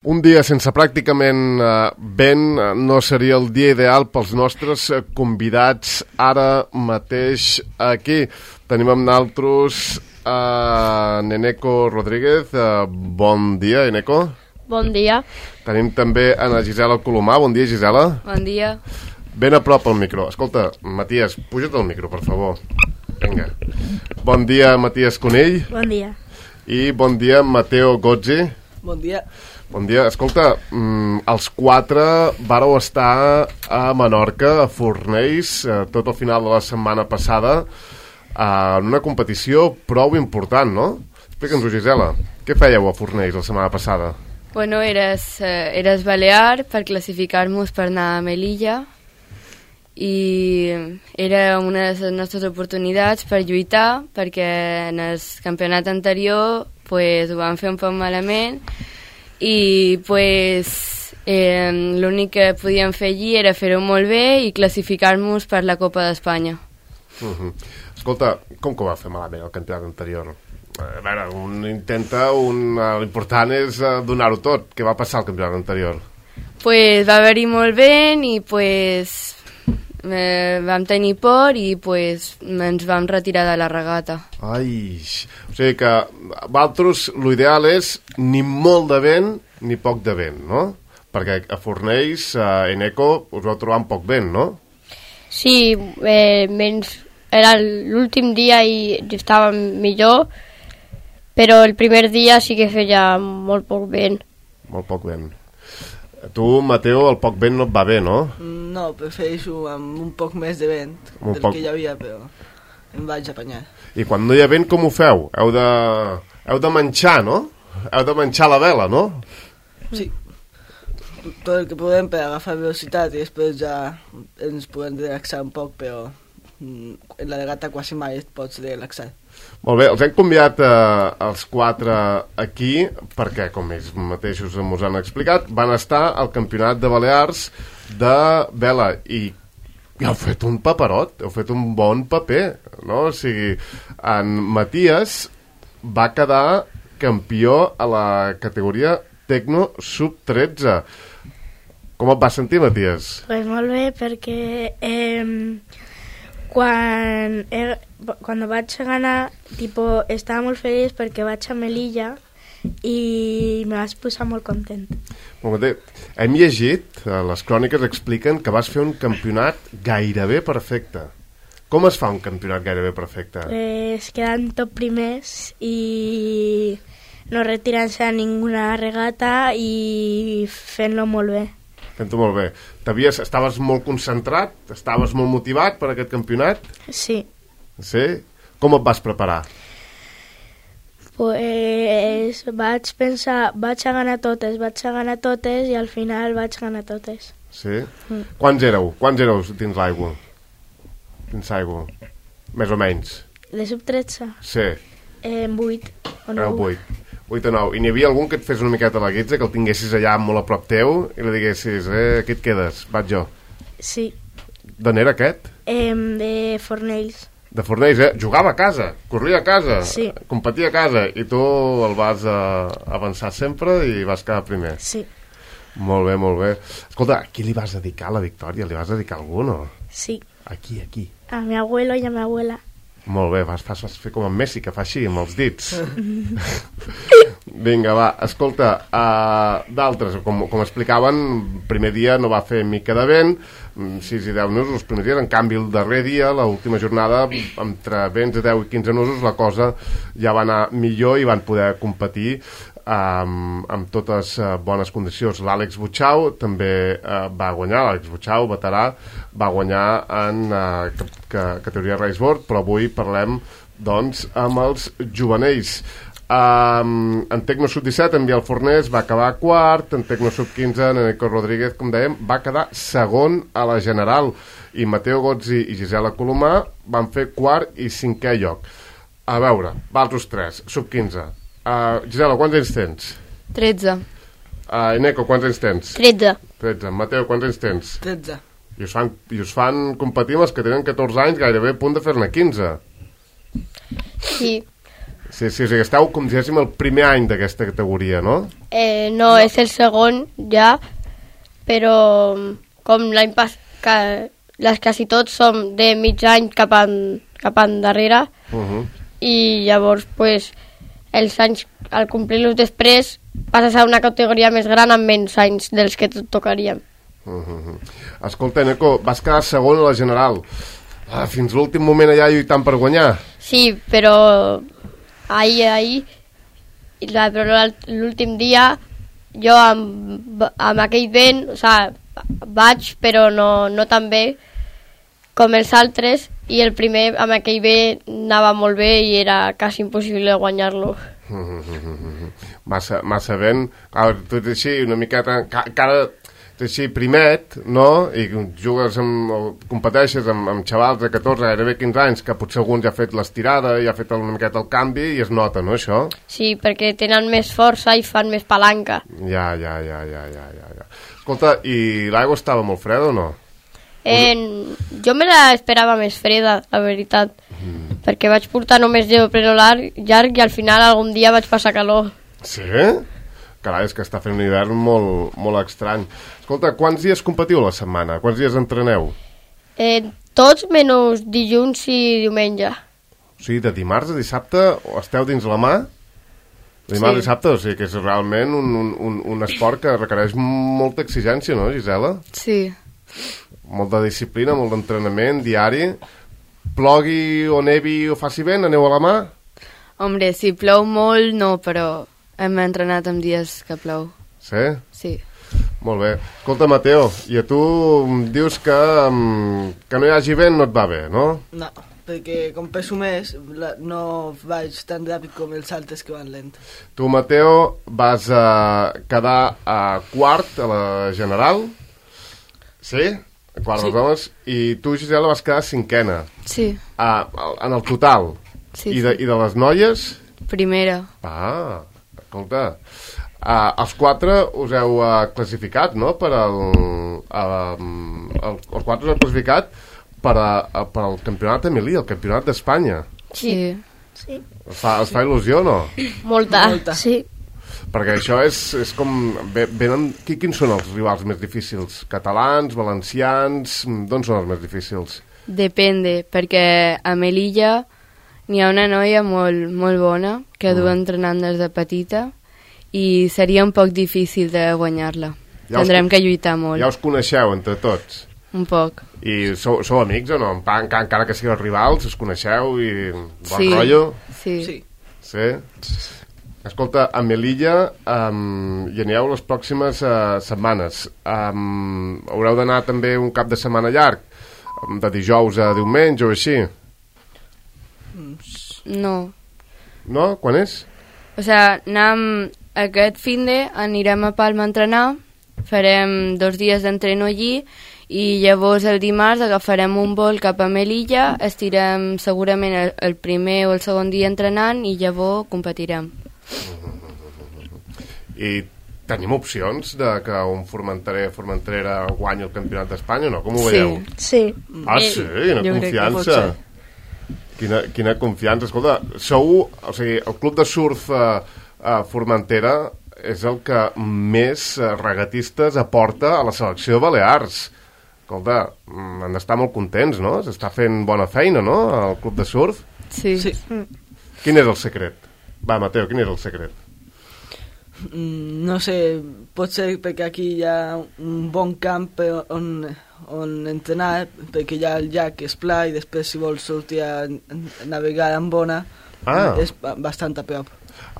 Un dia sense pràcticament vent no seria el dia ideal pels nostres convidats ara mateix aquí. Tenim amb nosaltres Eneco Rodríguez. Bon dia, Eneco. Bon dia. Tenim també a Gisela Colomà. Bon dia, Gisela. Bon dia. Ben a prop al micro. Escolta, Matías, puja't al micro, per favor. Vinga. Bon dia, Matías Conill. Bon dia. I bon dia, Mateo Gozzi. Bon dia. Bon dia. Escolta, els quatre vàreu estar a Menorca, a Fornells, tot el final de la setmana passada, en una competició prou important, no? Explica'ns-ho, Gisela. Què fèieu a Fornells la setmana passada? Bueno, eres Balear per classificar-nos per anar a Melilla i era una de les nostres oportunitats per lluitar, perquè en el campionat anterior pues, ho vam fer un poc malament i pues, l'únic que podíem fer allí era fer-ho molt bé i classificar-nos per la Copa d'Espanya. Escolta, com que ho va fer malament el campionat anterior? A veure, l'important és donar-ho tot. Què va passar al campionat anterior? Pues va haver-hi molt vent i pues, vam tenir por i pues, ens vam retirar de la regata. Ai, o sigui que vosaltres l'ideal és ni molt de vent ni poc de vent, no? Perquè a Fornells, a Eneco, us vau trobar amb poc vent, no? Sí, era l'últim dia i estava millor, però el primer dia sí que feia molt poc vent. Molt poc vent. Tu, Mateo, el poc vent no et va bé, no? No, prefereixo amb un poc més de vent que hi havia, però em vaig apanyar. I quan no hi ha vent, com ho feu? Heu de manxar, no? Heu de manxar la vela, no? Sí. Tot el que podem per agafar velocitat i després ja ens podem relaxar un poc, però en la regata quasi mai et pots relaxar. Molt bé, els hem convidat els quatre aquí perquè, com ells mateixos ens han explicat, van estar al Campionat de Balears de vela i heu fet un paperot, heu fet un bon paper, no? O sigui, en Matías va quedar campió a la categoria Tecno Sub-13. Com et vas sentir, Matías? Pues molt bé, perquè quan vaig ganar, estava molt feliç perquè vaig a Melilla i me vas posar molt content. Molt bé. Hem llegit, les cròniques expliquen que vas fer un campionat gairebé perfecte. Com es fa un campionat gairebé perfecte? Pues quedant top primers i no retirant-se a ninguna regata i fent-lo molt bé. Fent-ho molt bé. Estaves molt concentrat? Estaves molt motivat per aquest campionat? Sí. Sí? Com et vas preparar? Pues vaig pensar, vaig a ganar totes i al final vaig ganar totes. Sí? Quants éreu? Quants éreu dins l'aigua? Dins l'aigua? Més o menys. De sub-13? Sí. 8 o 9. 8 o 9. I n'hi havia algun que et fes una miqueta la guitza, que el tinguessis allà molt a prop teu i li diguessis, aquí et quedes, vaig jo. Sí. D'on era aquest? De Fornells. De Fornells, Jugava a casa, corria a casa, sí. Competia a casa, i tu el vas avançar sempre i vas quedar primer. Sí. Molt bé, molt bé. Escolta, a qui li vas dedicar la victòria? Li vas dedicar a algú, no? Sí. A qui? A mi abuelo i a mi abuela. Molt bé, vas fer com en Messi, que fa així, amb els dits. Vinga, va, escolta, d'altres, com explicaven, el primer dia no va fer mica de vent, 6 i 10 nusos els primers dies, en canvi el darrer dia, l'última jornada, entre vents de 10 i 15 nusos, la cosa ja va anar millor i van poder competir amb totes bones condicions. L'Àlex Butxau també va guanyar, l'Àlex Butxau, veterà, va guanyar en categoria raceboard, però avui parlem doncs amb els jovenells. En Tecno Sub-17 en Biel Fornés va acabar quart, en Tecno Sub-15 en Eneco Rodríguez, com dèiem, va quedar segon a la general i Mateo Gozzi i Gisela Colomà van fer quart i cinquè lloc. A veure, vosaltres tres, Sub-15. Gisela, quants anys tens? 13. Eneco, quants anys tens? 13. Mateo, quants anys tens? 13. I us fan competir amb els que tenen 14 anys, gairebé a punt de fer-ne 15. Sí. Sí, o sigui, esteu, com diguéssim, el primer any d'aquesta categoria, no? No, és el segon ja, però com l'any passat, les quasi tots som de mig any cap endarrere, i llavors, pues, els anys, al complir-los després, passes a una categoria més gran amb menys anys dels que tocaríem. Escolta, Neko, vas quedar segon a la general. Fins l'últim moment allà lluitant per guanyar. Sí, però l'últim dia jo amb aquell vent, o sigui, vaig, però no tan bé com els altres, i el primer amb aquell vent anava molt bé i era quasi impossible guanyar-lo. Massa vent. Tu ets així una miqueta... així primet, no? I jugues competeixes amb xavals de 14, gairebé 15 anys, que potser algun ja ha fet l'estirada, ja ha fet una miqueta el canvi i es nota, no, això? Sí, perquè tenen més força i fan més palanca. Ja. Escolta, i l'aigua estava molt freda o no? Jo me l'esperava més freda, la veritat, perquè vaig portar només neopreno llarg i al final algun dia vaig passar calor. Sí? Carai, és que està fent un hivern molt, molt estrany. Escolta, quants dies competiu a la setmana? Quants dies entreneu? Tots menys dilluns i diumenge. O sigui, de dimarts a dissabte esteu dins la mà? De dimarts a dissabte, o sigui que és realment un esport que requereix molta exigència, no, Gisela? Sí. Molta disciplina, molt d'entrenament diari. Plogui o nevi o faci vent, aneu a la mà? Hombre, si plou molt, no, però hem entrenat en dies que plou. Sí? Sí. Molt bé. Escolta, Mateo, i a tu dius que no hi hagi vent no et va bé, no? No, perquè com peso més, no vaig tan ràpid com els altres que van lent. Tu, Mateo, vas quedar a quart a la general, sí? A quart dels homes, i tu, Gisela, vas quedar cinquena. Sí. En el total. Sí, I de les noies? Primera. Escolta, els quatre us heu classificat, no? Els quatre us heu classificat per al campionat Emilí, el campionat d'Espanya. Sí. Es fa il·lusió, no? Molta. Sí. Perquè això és com... Quins són els rivals més difícils? Catalans, valencians... D'on són els més difícils? Depende, perquè a Melilla n'hi ha una noia molt, molt bona que du entrenant des de petita i seria un poc difícil de guanyar-la. Tindrem que lluitar molt. Ja us coneixeu entre tots? Un poc. I sou amics o no? Encara que sigueu rivals, us coneixeu i bon rotllo? Sí. Escolta, a Melilla hi aneu les pròximes setmanes. Haureu d'anar també un cap de setmana llarg, de dijous a diumenge o així? No. No? Quan és? O sigui, aquest finde anirem a Palma a entrenar, farem 2 dies d'entreno allí i llavors el dimarts agafarem un vol cap a Melilla, estirem segurament el primer o el segon dia entrenant i llavors competirem. I tenim opcions de que un formenterera guanyi el campionat d'Espanya o no? Com ho veieu? Sí. Sí? Quina confiança. Quina confiança. Escolta, o sigui, el club de surf Formentera és el que més regatistes aporta a la selecció de Balears. Escolta, han d'estar molt contents, no? S'està fent bona feina, no?, al club de surf. Sí. Quin és el secret? Va, Mateo, quin és el secret? No sé, pot ser perquè aquí hi ha un bon camp on entrenar, perquè hi ha el llac és pla i després si vols sortir a navegar amb bona és bastant a prop.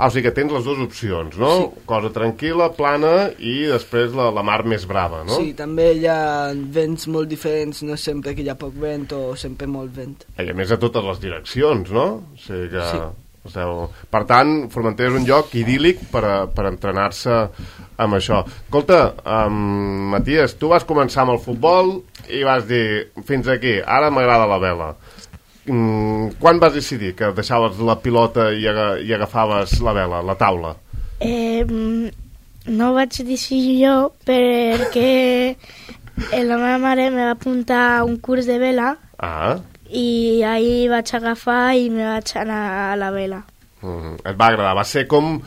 O sigui que tens les dues opcions, no? Sí. Cosa tranquil·la, plana i després la mar més brava, no? Sí, també hi ha vents molt diferents, no és sempre que hi ha poc vent o sempre molt vent. I a més a totes les direccions, no? O sigui que... Sí. Per tant, Formentera és un lloc idíl·lic per entrenar-se amb això. Escolta, Matías, tu vas començar amb el futbol i vas dir, fins aquí, ara m'agrada la vela. Quan vas decidir que deixaves la pilota i agafaves la vela, la taula? No vaig decidir jo perquè la meva mare me va apuntar a un curs de vela i ahir vaig agafar i me vaig anar a la vela. Et va agradar, va ser com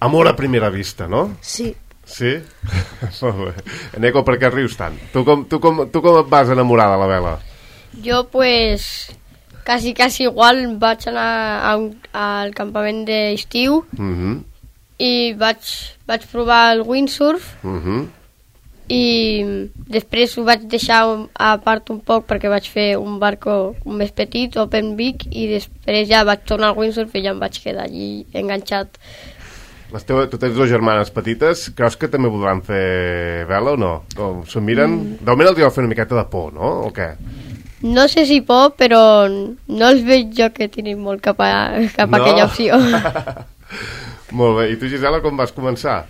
amor a primera vista, no? Sí. Sí? Molt bé. Eneco, per què rius tant? Tu com et vas enamorar de la vela? Jo, pues, quasi igual vaig anar al campament d'estiu i vaig provar el windsurf i després ho vaig deixar a part un poc perquè vaig fer un barco més petit, open big, i després ja vaig tornar al windsurf i ja em vaig quedar allí enganxat. Tu tens dues germanes petites, creus que també voldran fer vela o no? O s'ho miren? De moment els hi va fer una miqueta de por, no? O què? No sé si por, però no els veig jo que tinguin molt cap a aquella opció. Molt bé. I tu, Gisela, com vas començar?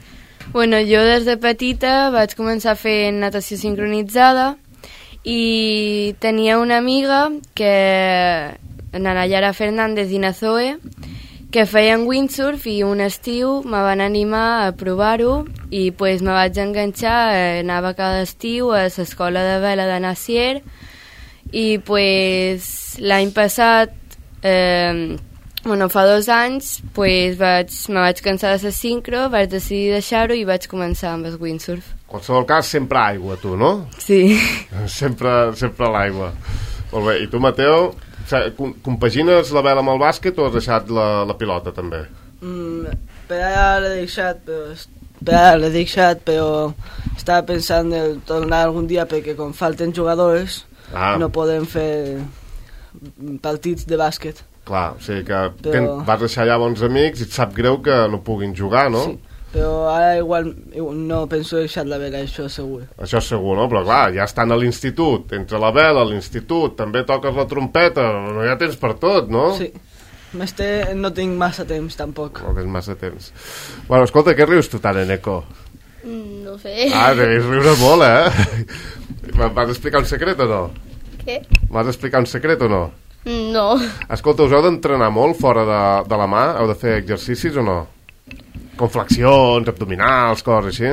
Bueno, jo des de petita vaig començar fent natació sincronitzada i tenia una amiga que, la Nayara Fernández i na Zoe, que feien windsurf i un estiu me van animar a provar-ho i pues, me vaig enganxar, anava cada estiu a l'escola de vela de Nacier i pues, l'any passat, fa 2 anys, pues, me vaig cansar de la sincro, vaig decidir deixar-ho i vaig començar amb el windsurf. En qualsevol cas, sempre aigua, tu, no? Sí. Sempre l'aigua. Molt bé. I tu, Mateo, compagines la vela amb el bàsquet o has deixat la pilota, també? Per ara l'he deixat, però estava pensant en tornar algun dia perquè com falten jugadors no podem fer partits de bàsquet. Clar, o sigui que vas deixar allà bons amics i et sap greu que no puguin jugar, no? Sí, però ara igual no penso deixar la vela, això segur. Això segur, no? Però clar, ja estan a l'institut, entre la vela, l'institut, també toques la trompeta, no hi ha temps per tot, no? Sí, no tinc massa temps, tampoc. No tens massa temps. Bueno, escolta, què rius tu tant, Eneco? No sé. Deus riure molt, Vas explicar un secret o no? Què? Vas explicar un secret o no? No. Escolta, us heu d'entrenar molt fora de la mà? Heu de fer exercicis o no? Com flexions, abdominals, coses així?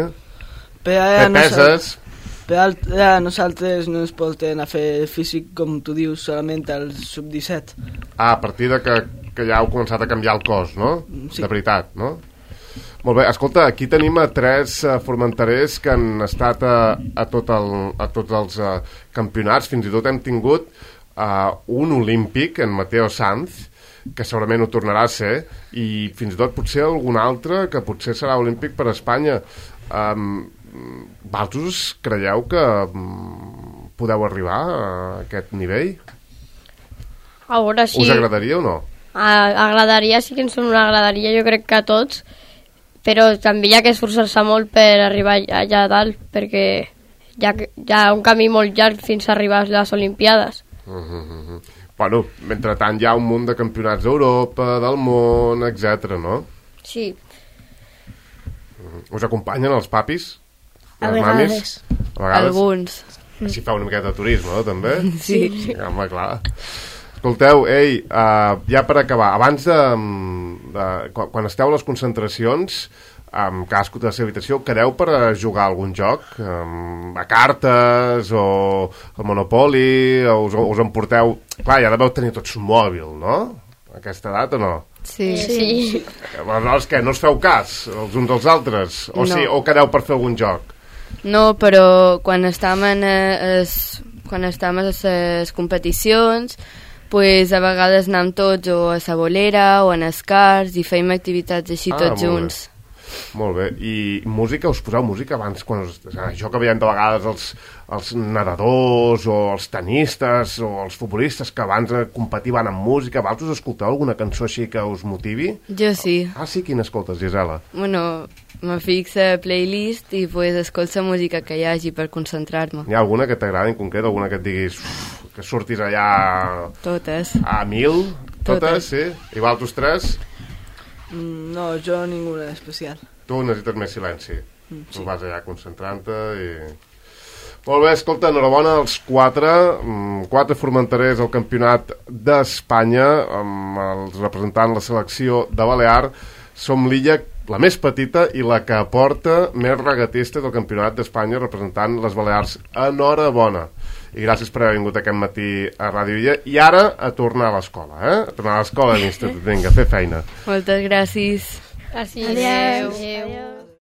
Fer peses? Per ara nosaltres no ens portem a fer físic, com tu dius, solament al sub-17. A partir de que ja heu començat a canviar el cos, no? Sí. De veritat, no? Molt bé, escolta, aquí tenim a 3 formenterers que han estat a tots els campionats, fins i tot hem tingut un olímpic, en Mateo Sanz, que segurament ho tornarà a ser, i fins i tot potser algun altre que potser serà olímpic per a Espanya. Vosaltres creieu que podeu arribar a aquest nivell? A veure si... Us agradaria o no? Agradaria, sí que ens agradaria, jo crec que a tots, però també hi ha que esforçar-se molt per arribar allà a dalt, perquè hi ha un camí molt llarg fins a arribar a les Olimpiades. Bueno, mentrestant hi ha un munt de campionats d'Europa, del món, etc, no? Sí. Us acompanyen els papis? A les vegades. mamis? A vegades? Alguns. Així fa una miqueta de turisme, no, també? Sí. Home, clar. Escolteu, ja per acabar, abans quan esteu a les concentracions, cadascú de la seva habitació, quedeu per jugar a algun joc? A cartes o al Monopoly? O us emporteu... Clar, ja deveu tenir tots un mòbil, no? A aquesta edat o no? Sí. Sí. Aleshores, què? No us feu cas els uns dels altres? O, No. sí, o quedeu per fer algun joc? No, però quan estàvem a les competicions, pues, a vegades anàvem tots o a la bolera o en escars i fèiem activitats així tots junts. Molt bé. I música? Us poseu música abans? Això que veiem de vegades els nedadors o els tenistes o els futbolistes que abans de competir van amb música, vosaltres escolteu alguna cançó així que us motivi? Jo sí. Sí? Quina escoltes, Gisela? Bueno, me fixa a playlist i pues, escolto la música que hi hagi per concentrar-me. Hi ha alguna que t'agrada en concret? Alguna que et diguis que surtis allà Totes. a 1000? Totes, sí? I vosaltres 3? No, jo ninguna especial. Tu necessites més silenci. Tu vas allà concentrant-te i... Molt bé, escolta, enhorabona als 4 formenterers al Campionat d'Espanya, amb els representant la selecció de Balear. Som l'illa la més petita i la que porta més regatistes del Campionat d'Espanya representant les Balears. Enhorabona. I gràcies per haver vingut aquest matí a Ràdio Illa. I ara a tornar a l'escola, A tornar a l'escola de l'Institut. Vinga, a fer feina. Moltes gràcies. Gràcies. Adéu. Adéu.